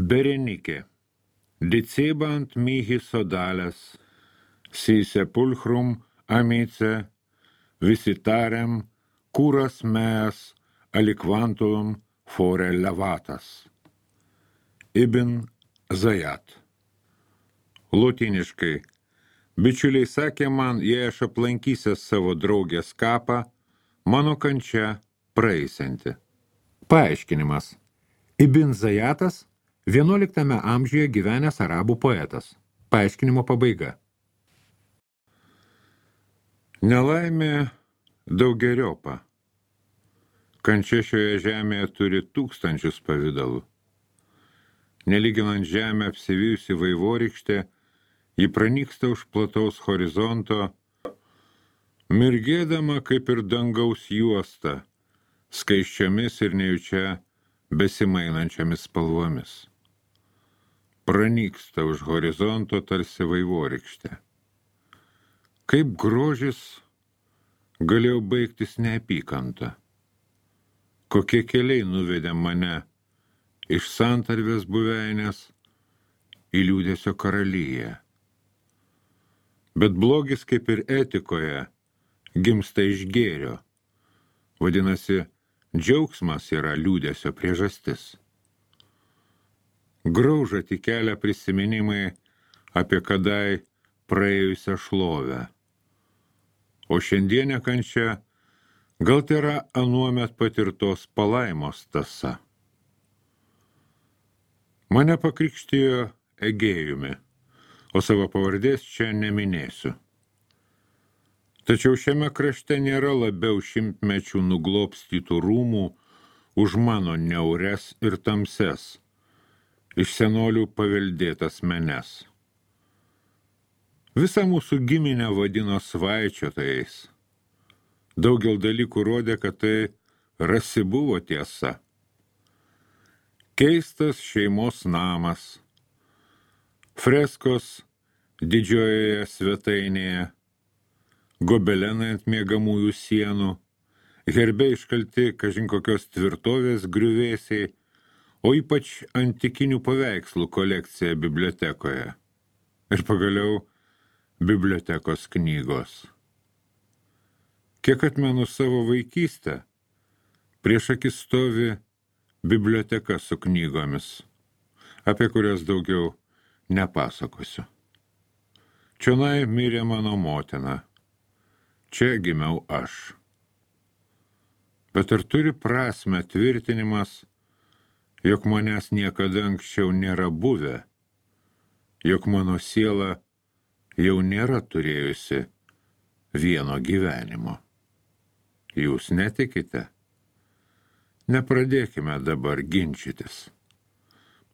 Berenike, dicebant mihi sodales, si sepulchrum amice, visitarem curas meas aliquantulum fore levatas. Ibn Zajat. Lotyniškai. Bičiuliai sakė man, jei aš aplankysiu savo draugės kapą, mano kančia praeisianti. Paaiškinimas. Ibn Zajatas 11 amžiuje gyvenęs arabų poetas. Paaiškinimo pabaiga. Nelaimė daugeriopa. Kančia šioje žemėje turi tūkstančius pavidalų. Nelyginant žemę apsivijusi vaivorykštė, ji pranyksta už plataus horizonto, mirgėdama kaip ir dangaus juosta, skaisčiomis ir nejučia besimainančiamis spalvomis. Pranyksta už horizonto tarsi vaivorykštė. Kaip grožis galėjo baigtis neapykanta. Kokie keliai nuvedė mane iš santarvės buveinės į liūdesio karalyje. Bet blogis kaip ir etikoje gimsta iš gėrio. Vadinasi, džiaugsmas yra liūdesio priežastis. Grauža tik kelia prisiminimai apie kadai praėjusią šlovę. O šiandienė kančia gal tai yra anuomet patirtos palaimos tąsa. Mane pakrikštijo Egėjumi, o savo pavardės čia neminėsiu. Tačiau šiame krašte nėra labiau šimtmečių nuglobstytų rūmų už mano niaures ir tamses, iš senolių paveldėtas menes. Visą mūsų giminę vadino svaičiotojais. Daugel dalykų rodė, kad tai rasi buvo tiesa. Keistas šeimos namas, freskos didžiojoje svetainėje, gobelenai ant miegamųjų sienų, herbe iškalti kažin kokios tvirtovės griuvėsiai, o ypač antikinių paveikslų kolekcija bibliotekoje. Ir pagaliau bibliotekos knygos. Kiek atmenu savo vaikystę, prieš akis stovi biblioteka su knygomis, apie kurias daugiau nepasakosiu. Čionai mirė mano motina, čia gimiau aš. Bet ar turi prasmę tvirtinimas, jog manęs niekada anksčiau nėra buvę, jog mano siela jau nėra turėjusi vieno gyvenimo? Jūs netikite? Nepradėkime dabar ginčytis.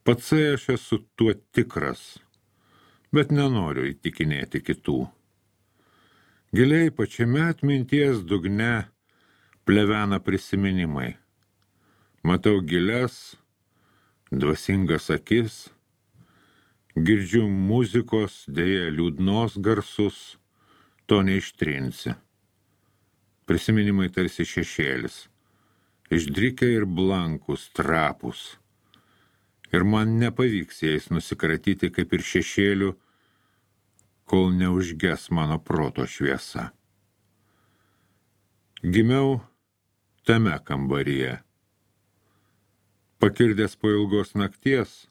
Patsai aš esu tuo tikras, bet nenoriu įtikinėti kitų. Giliai pačiame atminties dugne plevena prisiminimai. Matau gilias, dvasingas akis, girdžiu muzikos, deja liūdnos garsus, to neištrinsi. Prisiminimai tarsi šešėlis, išdrikę ir blankus, trapus. Ir man nepavyks jais nusikratyti kaip ir šešėlių, kol neužges mano proto šviesa. Gimiau tame kambaryje. Pakirdęs po ilgos nakties,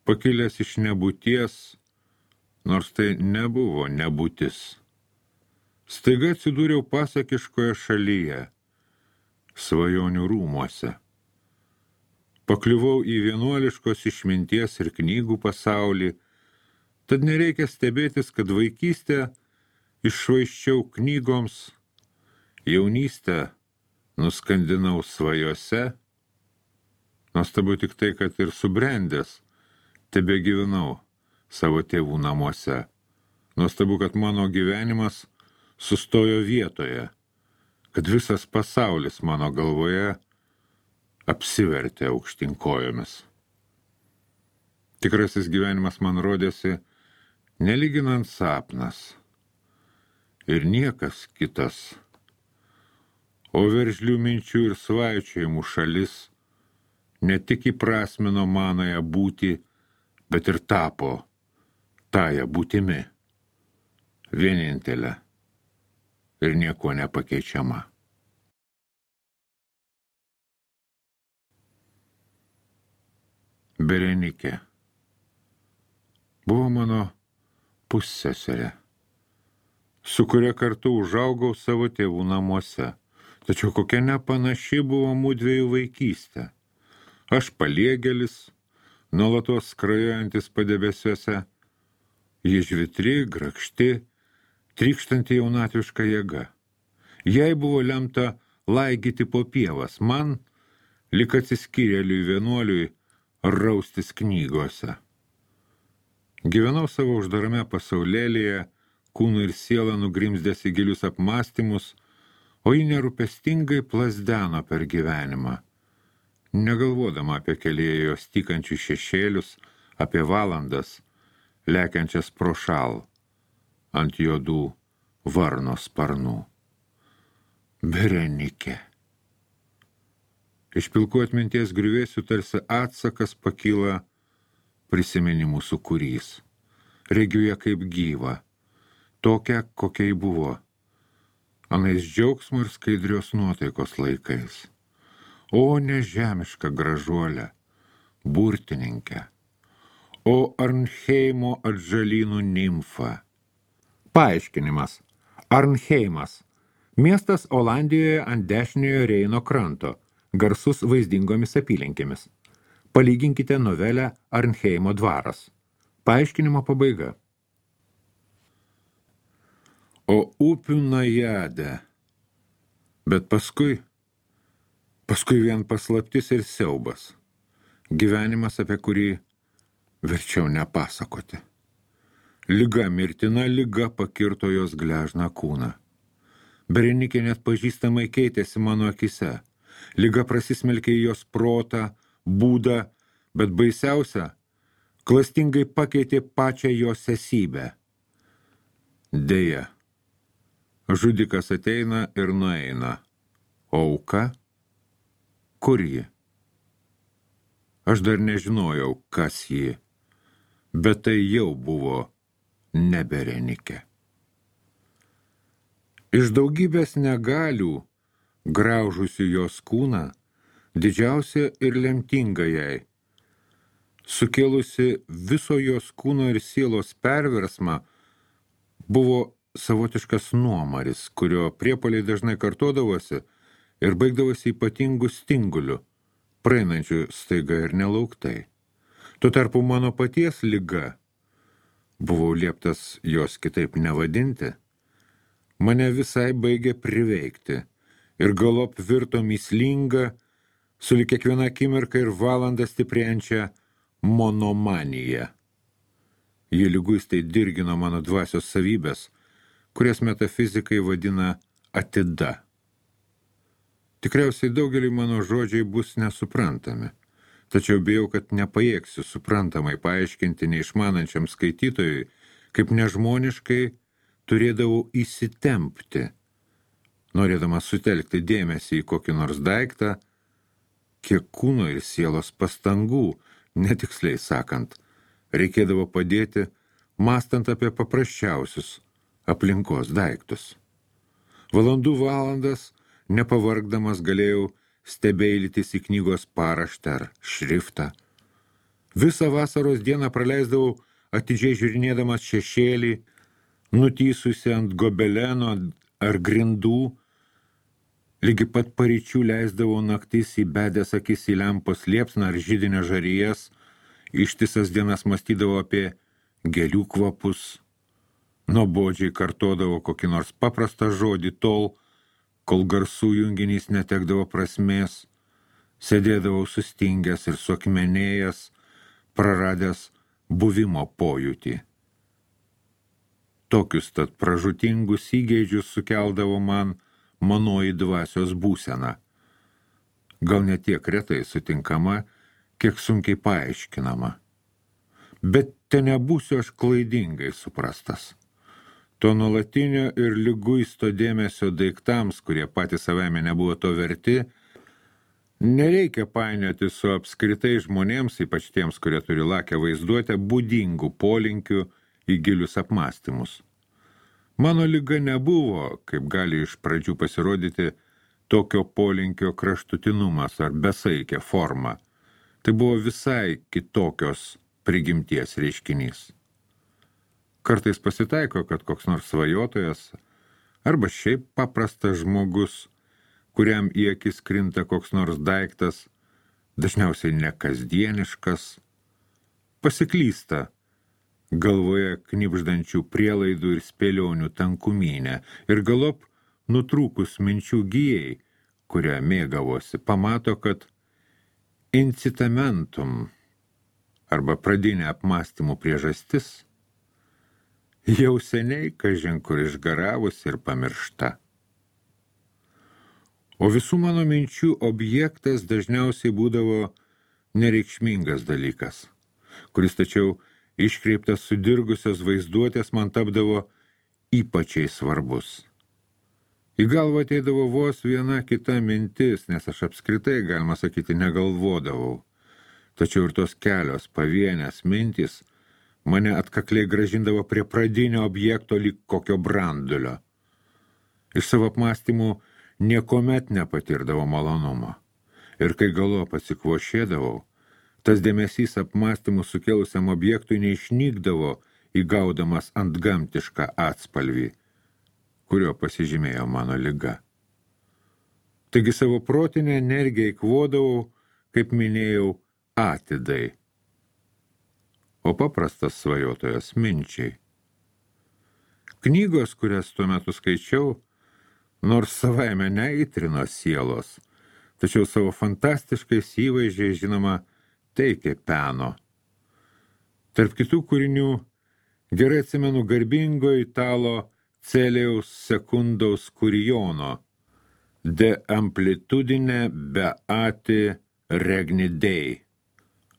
pakilęs iš nebūties, nors tai nebuvo nebūtis. Staiga atsidūriau pasakiškoje šalyje, svajonių rūmuose. Pakliuvau į vienuoliškos išminties ir knygų pasaulį, tad nereikia stebėtis, kad vaikystę iššvaisčiau knygoms, jaunystę nuskandinau svajose. Nuostabu tik tai, kad ir subrendęs tebegyvenau savo tėvų namuose. Nuostabu, kad mano gyvenimas sustojo vietoje, kad visas pasaulis mano galvoje apsivertė aukštyn kojomis. Tikrasis gyvenimas man rodėsi nelyginant sapnas ir niekas kitas, o veržlių minčių ir svaičiojimų šalis ne tik įprasmino manąją būtį, bet ir tapo tąją būtimi, vienintelę ir nieko nepakeičiama. Berenikė buvo mano pusseserė, su kuria kartu užaugau savo tėvų namuose. Tačiau kokia nepanaši buvo mūdviejų vaikystė. Aš paliegėlis, nuolatos skrajojantis padebesiuose, ji žvitri, grakšti, trykštanti jaunatviška jėga. Jai buvo lemta laigyti po pievas, man, lyg atsiskyrėliui vienuoliui, raustis knygose. Gyvenau savo uždarame pasaulėlyje, kūnu ir siela nugrimzdęs į gilius apmąstymus, o ji nerūpestingai plasdeno per gyvenimą, negalvodama apie kelyje jos tykančius šešėlius, apie valandas, lekiančias pro šal ant juodų varno sparnų. Berenikė. Iš pilkų atminties griuvėsių tarsi atsakas pakyla prisiminimų sūkurys. Regiu ją kaip gyvą, tokią, kokia ji buvo, anais džiaugsmo ir skaidrios nuotaikos laikais. O nežemiška gražuolė, burtininkė, o Arnheimo atžalynų nimfa. Paaiškinimas. Arnheimas. Miestas Olandijoje ant dešiniojo Reino kranto, garsus vaizdingomis apylinkėmis. Palyginkite novelę Arnheimo dvaras. Paaiškinimo pabaiga. O upių najade. Bet paskui vien paslaptis ir siaubas. Gyvenimas, apie kurį verčiau nepasakoti. Liga, mirtina liga pakirto jos gležną kūną. Berenikė net pažįstamai keitėsi mano akise. Liga prasismelkė į jos protą, būdą, bet baisiausia, klastingai pakeitė pačią jos esybę. Deja, žudikas ateina ir nueina, o auka? Kur ji? Aš dar nežinojau, kas ji, bet tai jau buvo ne Berenikė. Iš daugybės negalių, graužusių jos kūną, didžiausia ir lemtinga jai, sukėlusi viso jos kūno ir sielos perversmą, buvo savotiškas nuomaris, kurio priepuoliai dažnai kartodavosi ir baigdavosi ypatingų stingulių, praeinančių staiga ir nelauktai. Tuo tarpu mano paties liga, buvau lieptas jos kitaip nevadinti, mane visai baigė priveikti ir galop virto mįslinga, sulig kiekviena akimirka ir valandą stiprėjančią monomaniją. Ji liguistai dirgino mano dvasios savybės, kurias metafizikai vadina atida. Tikriausiai daugeliui mano žodžiai bus nesuprantami, tačiau bijau, kad nepajėgsiu suprantamai paaiškinti neišmanančiam skaitytojui, kaip nežmoniškai turėdavau įsitempti, norėdamas sutelkti dėmesį į kokį nors daiktą, kiek kūno ir sielos pastangų, netiksliai sakant, reikėdavo padėti, mąstant apie paprasčiausius aplinkos daiktus. Valandų valandas, nepavargdamas, galėjau stebeilytis į knygos paraštę ar šriftą. Visą vasaros dieną praleisdavau atidžiai žiūrinėdamas šešėlį, nutysusi ant gobeleno ar grindų, lygi pat paryčių leisdavau naktis įbedęs akis į lempos liepsną ar židinio žarijas, ištisas dienas mąstydavau apie gėlių kvapus, nuobodžiai kartodavo kokį nors paprastą žodį tol, kol garsų junginys netekdavo prasmės, sėdėdavau sustingęs ir suakmenėjęs, praradęs buvimo pojūtį. Tokius tad pražutingus įgeidžius sukeldavo man manoji dvasios būsena. Gal ne tiek retai sutinkama, kiek sunkiai paaiškinama. Bet te nebūsiu aš klaidingai suprastas. To nuolatinio ir liguisto dėmesio daiktams, kurie patys savame nebuvo to verti, Nereikia painioti su apskritai žmonėms, ypač tiems, kurie turi lakę vaizduotę, būdingų polinkių į gilius apmąstymus. Mano liga nebuvo, kaip gali iš pradžių pasirodyti, tokio polinkio kraštutinumas ar besaikė forma. Tai buvo visai kitokios prigimties reiškinys. Kartais pasitaiko, kad koks nors svajotojas arba šiaip paprastas žmogus, kuriam į akis krinta koks nors daiktas, dažniausiai nekasdieniškas, pasiklysta galvoje knibždančių prielaidų ir spėlionių tankumynę ir galop nutrūkus minčių gijai, kurią mėgavosi, pamato, kad incitamentum arba pradinė apmąstymų priežastis jau seniai kažin kur išgaravus ir pamiršta. O visų mano minčių objektas dažniausiai būdavo nereikšmingas dalykas, kuris tačiau iškreiptas sudirgusios vaizduotės man tapdavo ypačiai svarbus. Į galvą ateidavo vos viena kita mintis, nes aš apskritai, galima sakyti, negalvodavau. Tačiau ir tos kelios pavienės mintys mane atkakliai grąžindavo prie pradinio objekto lyg kokio brandulio. Iš savo apmąstymų niekuomet nepatirdavo malonumo. Ir kai galop atsikvošėdavau, tas dėmesys apmąstymų sukėlusiam objektui neišnykdavo įgaudamas antgamtišką atspalvį, kurio pasižymėjo mano liga. Taigi savo protinę energiją įkvodavau, kaip minėjau, atidai, o paprastas svajotojas minčiai. Knygos, kurias tuo metu skaičiau, nors savaime neįtrino sielos, tačiau savo fantastiškais įvaizdžiais, žinoma, teikė peno. Tarp kitų kūrinių gerai atsimenu garbingo italo Celiaus Secundaus Kurijono De amplitudine beati regni Dei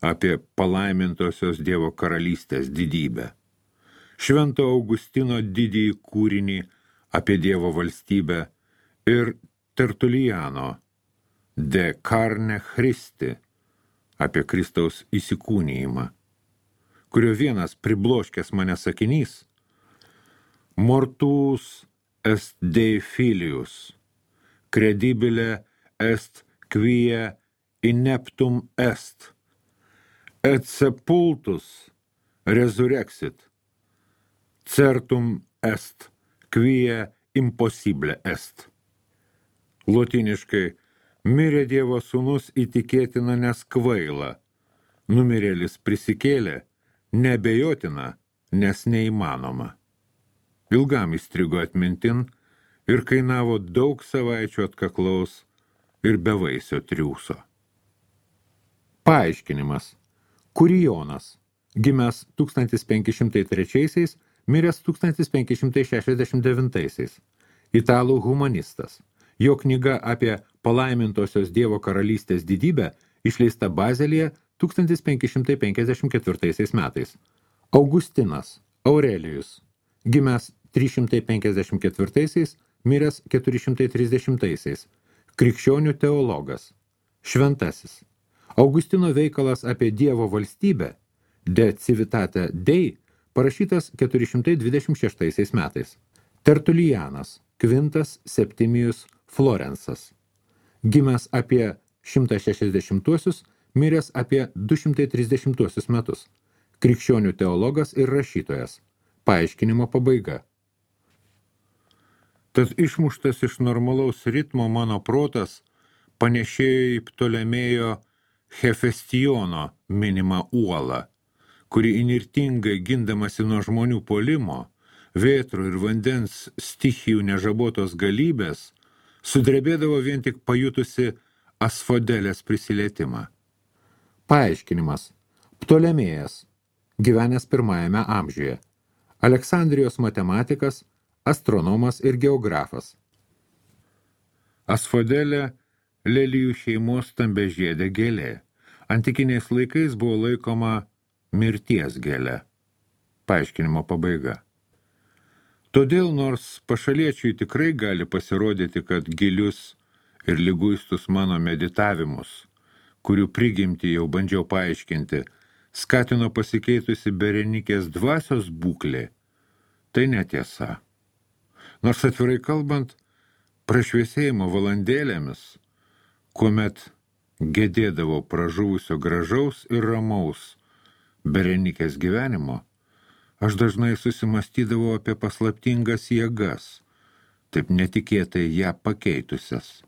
apie palaimintosios Dievo karalystės didybę. Švento Augustino didįjį kūrinį apie Dievo valstybę ir Tertuliano De carne Christi apie Kristaus įsikūnijimą, kurio vienas pribloškęs mane sakinys Mortus est Dei filius, credibile est quia ineptum est, et sepultus resurrexit, certum est quia impossible est. Lotyniškai, mirė Dievo sūnus įtikėtina, nes kvaila, numirėlis prisikėlė, neabejotina, nes neįmanoma. Ilgam įstrigo atmintin ir kainavo daug savaičių atkaklaus ir bevaisio triūso. Paaiškinimas. Kurijonas, gimęs 1503, miręs 1569, italų humanistas. Jo knyga apie palaimintosios Dievo karalystės didybę išleista Bazelyje 1554 metais. Augustinas Aurelijus, gimęs 354, miręs 430, krikščionių teologas, šventasis. Augustino veikalas apie Dievo valstybę, De civitate Dei, parašytas 426 metais. Tertulianas, Quintas Septimius Florensas, gimęs apie 160-uosius, miręs apie 230 metus. Krikščionių teologas ir rašytojas. Paaiškinimo pabaiga. Tad išmuštas iš normalaus ritmo mano protas panešėjo į Ptolemėjo Hefestiono minimą uolą, kuri inirtingai gindamasi nuo žmonių puolimo, vėtrų ir vandens stichijų nežabotos galybės, sudrebėdavo vien tik pajutusi Asfodelės prisilietimą. Paaiškinimas. Ptolemėjas, gyvenęs 1 amžiuje. Aleksandrijos matematikas, astronomas ir geografas. Asfodelė lelijų šeimos stambiažiedė gėlė. Antikiniais laikais buvo laikoma mirties gėlė. Paaiškinimo pabaiga. Todėl, nors pašaliečiui tikrai gali pasirodyti, kad gilius ir liguistus mano meditavimus, kurių prigimtį jau bandžiau paaiškinti, skatino pasikeitusi Berenikės dvasios būklė, tai netiesa. Nors atvirai kalbant, prašviesėjimo valandėlėmis, kuomet gedėdavo pražuvusio gražaus ir ramaus Berenikės gyvenimo, aš dažnai susimastydavau apie paslaptingas jėgas, taip netikėtai ją pakeitusias.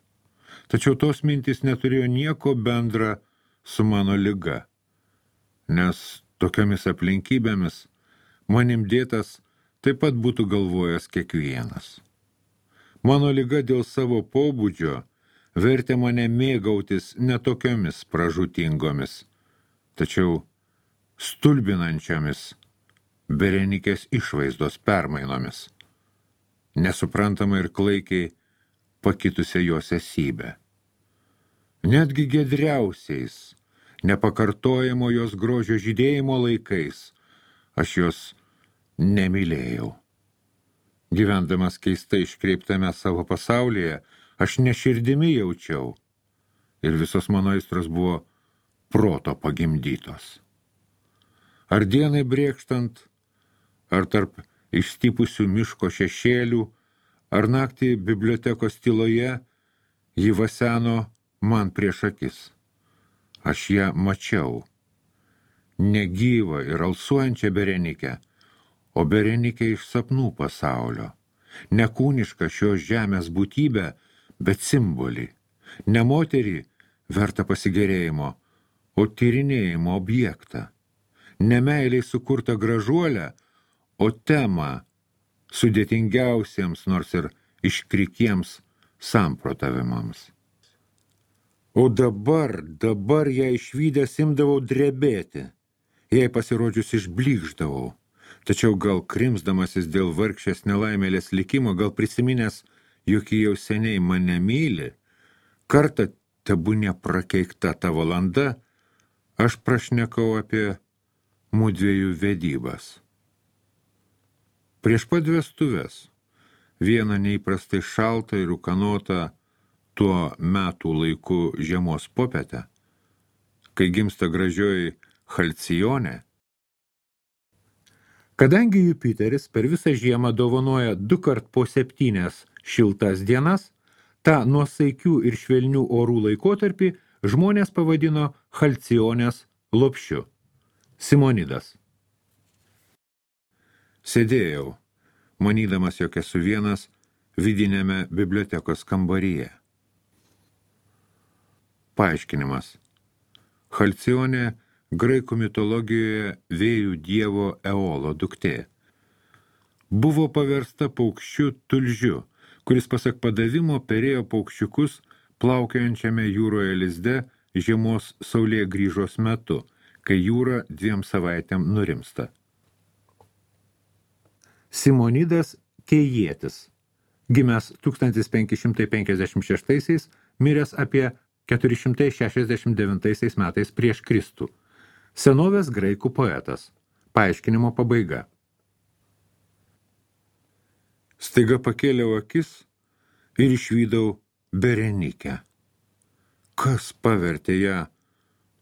Tačiau tos mintys neturėjo nieko bendra su mano liga, nes tokiomis aplinkybėmis manim dėtas taip pat būtų galvojęs kiekvienas. Mano liga dėl savo pobūdžio vertė mane mėgautis netokiomis pražūtingomis, tačiau stulbinančiomis Berenikės išvaizdos permainomis, nesuprantamai ir klaikiai pakitusią jos esybę. Netgi giedriausiais, nepakartojamo jos grožio žydėjimo laikais aš jos nemylėjau. Gyvendamas keistai iškreiptame savo pasaulyje, aš neširdimi jaučiau ir visos mano aistros buvo proto pagimdytos. Ar dienai brėkštant, ar tarp išstypusių miško šešėlių, ar naktį bibliotekos tyloje, ji vaseno man prieš akis. Aš ją mačiau, negyvą ir alsuojančią Berenikę, o Berenikę iš sapnų pasaulio, nekūnišką šios žemės būtybę, bet simbolį, ne moterį vertą pasigerėjimo, o tyrinėjimo objektą, ne meiliai sukurtą gražuolę, o temą sudėtingiausiems, nors ir iškrikiems samprotavimams. O dabar ją išvydęs imdavau drebėti, jai pasirodžius išblykšdavau, tačiau gal krimsdamasis dėl vargšės nelaimėlės likimo, gal prisiminęs, jog ji jau seniai mane myli, kartą tebūnė prakeikta ta valanda, aš prašnekau apie mudviejų vedybas. Prieš pat vestuves, vieną neįprastai šaltą ir ūkanotą tuo metų laiku žiemos popietę, kai gimsta gražioji Halcionė. Kadangi Jupiteris per visą žiemą dovanoja 2 po 7 šiltas dienas, tą nuosaikių ir švelnių orų laikotarpį žmonės pavadino Halcionės lopšiu. Simonidas. Sėdėjau, manydamas, jog esu vienas vidinėme bibliotekos kambaryje. Paaiškinimas. Halcionė graikų mitologijoje vėjų dievo Eolo duktė. Buvo paversta paukščiu tulžiu, kuris pasak padavimo perėjo paukščiukus plaukiojančiame jūroje lizde žiemos saulėgrįžos metu, kai jūra 2 savaitėm nurimsta. Simonidas Kėjietis, gimęs 1556, miręs apie 469 metais prieš Kristų. Senovės graikų poetas. Paaiškinimo pabaiga. Staiga pakėliau akis ir išvydau Berenikę. Kas pavertė ją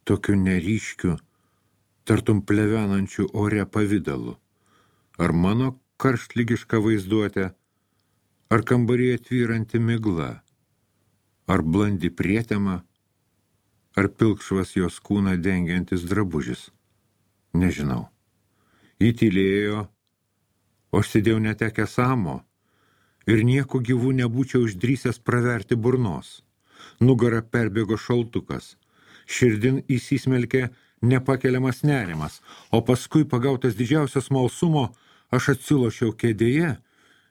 tokiu neryškiu, tartum plevenančiu ore pavidalu? Ar mano karštlygiška vaizduotė, ar kambaryje tvyranti migla, ar blandi prietema, ar pilkšvas jos kūną dengiantis drabužis? Nežinau. Ji tylėjo, o aš sėdėjau netekęs amo ir nieko gyvų nebūčiau išdrįsęs praverti burnos. Nugarą perbėgo šaltukas, širdin įsismelkė nepakeliamas nerimas, o paskui pagautas didžiausios smalsumo aš atsilošiau kėdėje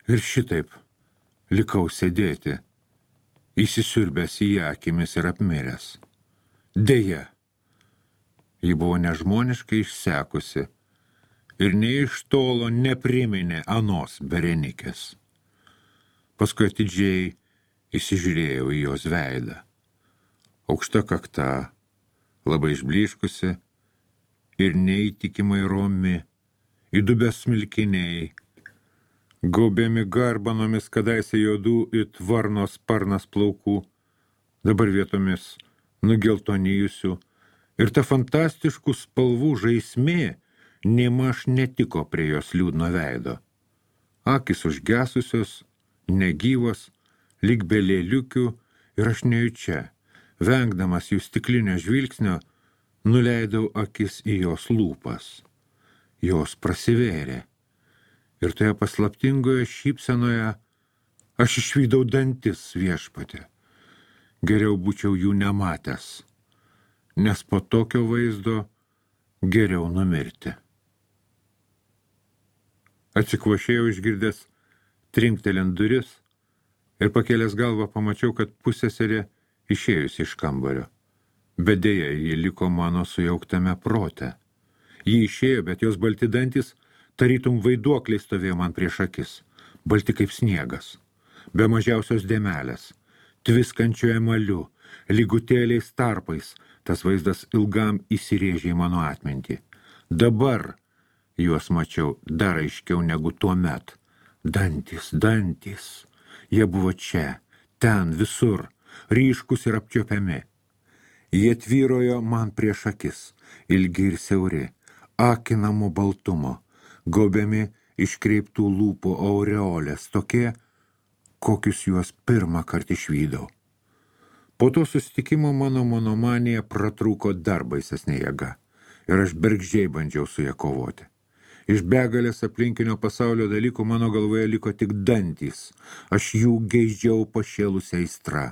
ir šitaip likau sėdėti, įsisiurbęs į ją akimis ir apmiręs. Deja, ji buvo nežmoniškai išsekusi ir nei iš tolo nepriminė anos Berenikės. Paskui atidžiai įsižiūrėjau į jos veidą. Aukšta kakta, labai išblyškusi ir neįtikimai romi, įdubęs smilkiniai, gaubiami garbanomis kadaise juodų it varnos sparnas plaukų, dabar vietomis nugeltonijusių, ir ta fantastiškų spalvų žaismė nėmaž netiko prie jos liūdno veido. Akys užgesusios, negyvos, lyg be lėliukių, ir aš nejučia, vengdamas jų stiklinio žvilgsnio, nuleidau akis į jos lūpas. Jos prasivėrė. Ir toje paslaptingoje šypsenoje aš išvydau dantis, Viešpatie. Geriau būčiau jų nematęs, nes po tokio vaizdo geriau numirti. Atsikvošėjau išgirdęs trinktelint duris ir pakėlęs galvą pamačiau, kad pusseserė išėjusi iš kambario. Bet deja, ji liko mano sujauktame prote. Ji išėjo, bet jos balti dantis tarytum vaiduokliai stovėjo man prieš akis, balti kaip sniegas, be mažiausios dėmelės, tviskančiu emaliu, lygutėliais tarpais, tas vaizdas ilgam įsirėžė į mano atmintį. Dabar juos mačiau dar aiškiau negu tuomet. Dantys, dantys, jie buvo čia, ten, visur, ryškus ir apčiuopiami. Jie tvyrojo man prieš akis, ilgi ir siauri, akinamo baltumo, gaubiami iškreiptų lūpų aureolės, tokie, kokius juos pirmą kartą išvydau. Po to susitikimo mano monomanija pratrūko dar baisesnė jėga, ir aš bergždžiai bandžiau su ją kovoti. Iš begalės aplinkinio pasaulio dalykų mano galvoje liko tik dantys, aš jų geidžiau pašėlusią aistrą.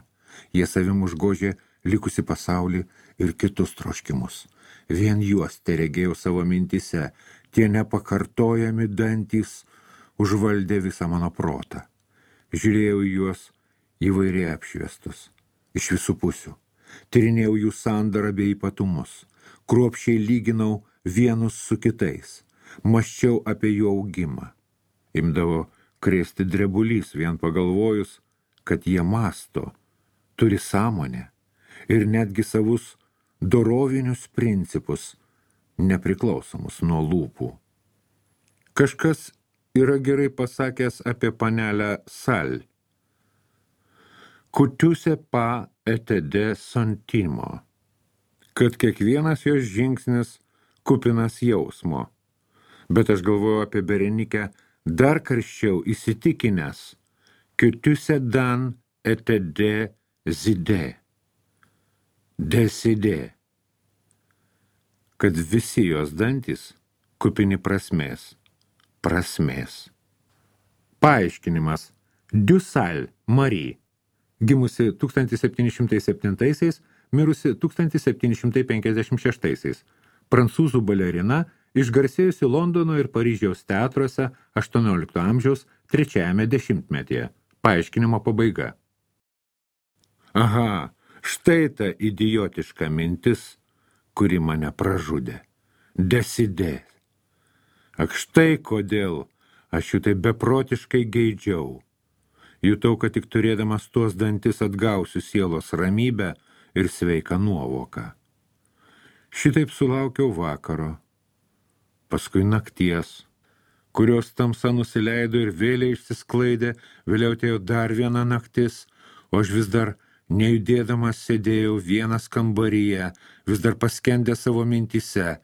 Jie savim užgožė likusi pasaulį ir kitus troškimus. Vien juos teregėjau savo mintise, tie nepakartojami dantys užvaldė visą mano protą. Žiūrėjau į juos įvairiai apšviestus, iš visų pusių. Tyrinėjau jų sandarą bei ypatumus, kruopščiai lyginau vienus su kitais, mąsčiau apie jų augimą. Imdavo krėsti drebulys vien pagalvojus, kad jie mąsto, turi sąmonę ir netgi savus dorovinius principus, nepriklausomus nuo lūpų. Kažkas yra gerai pasakęs apie panelę Sal. Kutiuse pa etede santimo, kad kiekvienas jos žingsnis kupinas jausmo. Bet aš galvoju apie Berenikę dar karščiau įsitikinęs, kutiuse dan etede zide, deside, kad visi jos dantys kupini prasmės. Paaiškinimas. Dusal Marie, gimusi 1707, mirusi 1756, prancūzų balerina, išgarsėjusi Londono ir Paryžiaus teatruose 18 amžiaus 3 dešimtmetyje. Paaiškinimo pabaiga. Aha, štai ta idiotiška mintis, kuri mane pražudė. Desidė. Ak, štai kodėl aš jų tai beprotiškai geidžiau. Jutau, kad tik turėdamas tuos dantis atgausiu sielos ramybę ir sveiką nuovoką. Šitaip sulaukiau vakaro, paskui nakties, kurios tamsa nusileido ir vėliai išsisklaidė, vėliau atėjo dar viena naktis, o aš vis dar nejudėdamas sėdėjau vienas kambaryje, vis dar paskendę savo mintyse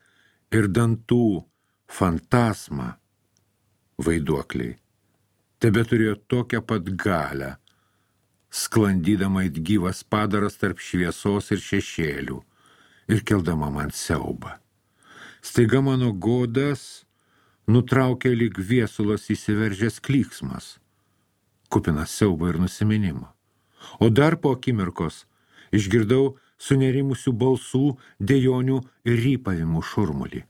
ir dantų fantasma, vaiduokliai, tebe turėjo tokią pat galę, sklandydama it gyvas padaras tarp šviesos ir šešėlių ir keldama man siaubą. Staiga mano godas nutraukė lyg viesulas įsiveržęs klyksmas, kupinas siaubo ir nusiminimo. O dar po akimirkos išgirdau sunerimusių balsų, dejonių ir rypavimų šurmulį.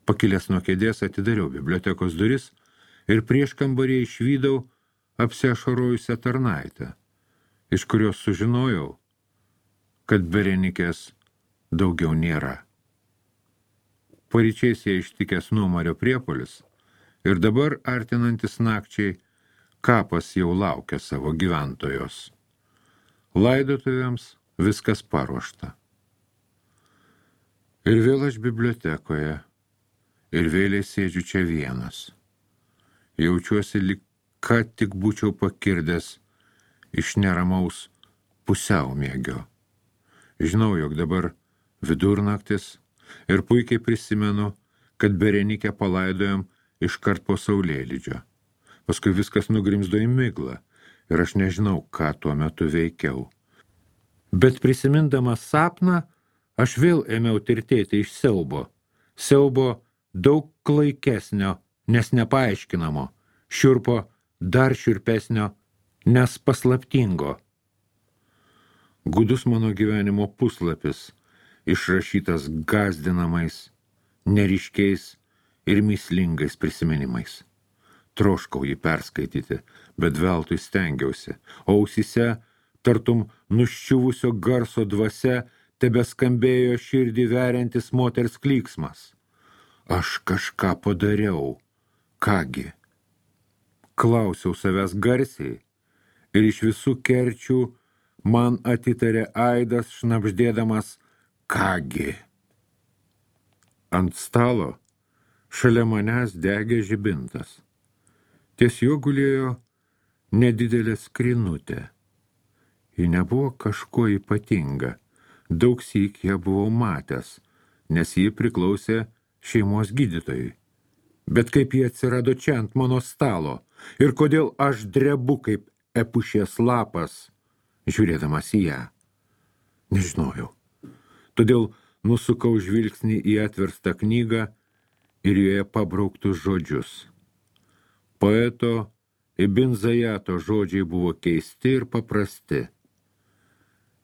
Pakilęs nuo kėdės atidariau bibliotekos duris ir prieš kambarį išvydau apsiašarojusią tarnaitę, iš kurios sužinojau, kad Berenikės daugiau nėra. Paryčiais jie ištikęs nuomario priepuolis ir dabar, artinantis nakčiai, kapas jau laukia savo gyventojos. Laidotuvėms viskas paruošta. Ir vėl aš bibliotekoje, ir vėliai sėdžiu čia vienas. Jaučiuosi, lyg ką tik būčiau pakirdęs iš neramaus pusiaumiegio. Žinau, jog dabar vidurnaktis ir puikiai prisimenu, kad Berenikę palaidojom iškart po saulėlydžio. Paskui viskas nugrimzdo į miglą ir aš nežinau, ką tuo metu veikiau. Bet prisimindamas sapną, aš vėl ėmiau tirtėti iš siaubo. Siaubo daug klaikesnio, nes nepaaiškinamo, šiurpo dar šiurpesnio, nes paslaptingo. Gudus mano gyvenimo puslapis, išrašytas gąsdinamais, neryškiais ir myslingais prisiminimais. Troškau jį perskaityti, bet veltui stengiausi, o ausyse, tartum nuščiuvusio garso dvasia, tebeskambėjo širdį veriantis moters klyksmas. Aš kažką padariau. Kągi? Klausiau savęs garsiai ir iš visų kerčių man atitarė aidas šnabždėdamas kągi. Ant stalo šalia manęs degė žibintas. Ties juo gulėjo nedidelė skrinutė. Ji nebuvo kažkuo ypatinga. Daugsyk ją buvau matęs, nes ji priklausė šeimos gydytojui. Bet kaip ji atsirado čia ant mano stalo ir kodėl aš drebu kaip epušės lapas, žiūrėdamas į ją. Nežinojau. Todėl nusukau žvilgsnį į atverstą knygą ir joje pabrauktus žodžius. Poeto Ibn Zajato žodžiai buvo keisti ir paprasti.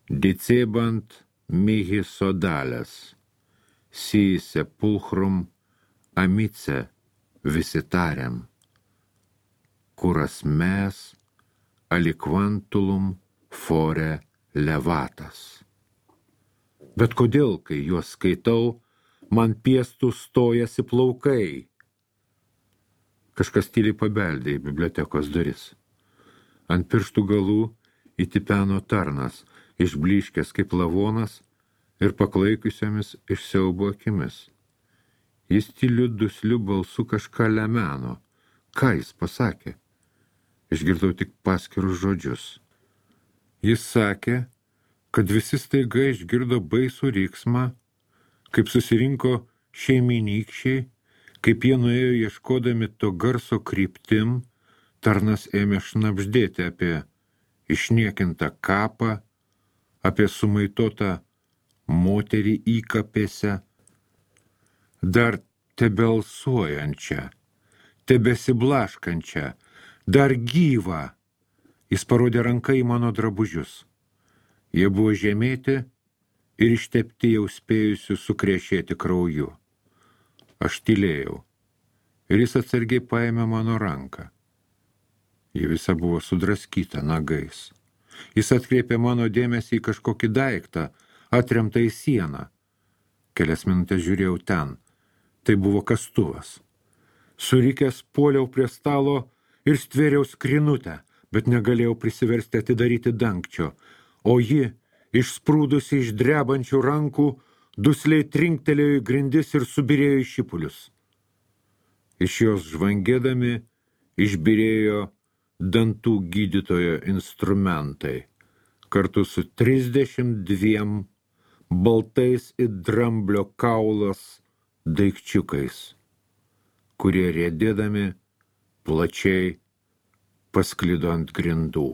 Dicebant mihi sodales, si sepulchrum amice visitariam, curas mes aliquantulum fore levatas. Bet kodėl, kai juos skaitau, man piestų stojasi plaukai? Kažkas tyliai pabeldė į bibliotekos duris. Ant pirštų galų įtipeno tarnas, išblyškęs kaip lavonas ir paklaikusiomis iš siaubo akimis. Jis tyliu dusliu balsu kažką lemeno. Ką jis pasakė? Išgirdau tik paskirus žodžius. Jis sakė, kad visi staiga išgirdo baisų riksmą, kaip susirinko šeiminykščiai, kaip jie nuėjo ieškodami to garso kryptim, tarnas ėmė šnabždėti apie išniekintą kapą, apie sumaitotą moterį įkapėse, dar tebelsuojančią, tebesiblaškančią, dar gyvą. Jis parodė ranką į mano drabužius. Jie buvo žemėti ir ištepti jau spėjusių sukrešėti krauju. Aš tylėjau ir jis atsargiai paėmė mano ranką. Ji visa buvo sudraskyta nagais. Jis atkreipė mano dėmesį į kažkokį daiktą, atremtą į sieną. Kelias minutės žiūrėjau ten. Tai buvo kastuvas. Surikęs puoliau prie stalo ir stvėriau skrinutę, bet negalėjau prisiversti atidaryti dangčio, o ji, išsprūdusi iš drebančių rankų, dusliai trinktelėjo į grindis ir subirėjo į šipulius. Iš jos žvangėdami išbirėjo dantų gydytojo instrumentai, kartu su 32 baltais it dramblio kaulas daikčiukais, kurie riedėdami plačiai pasklido ant grindų.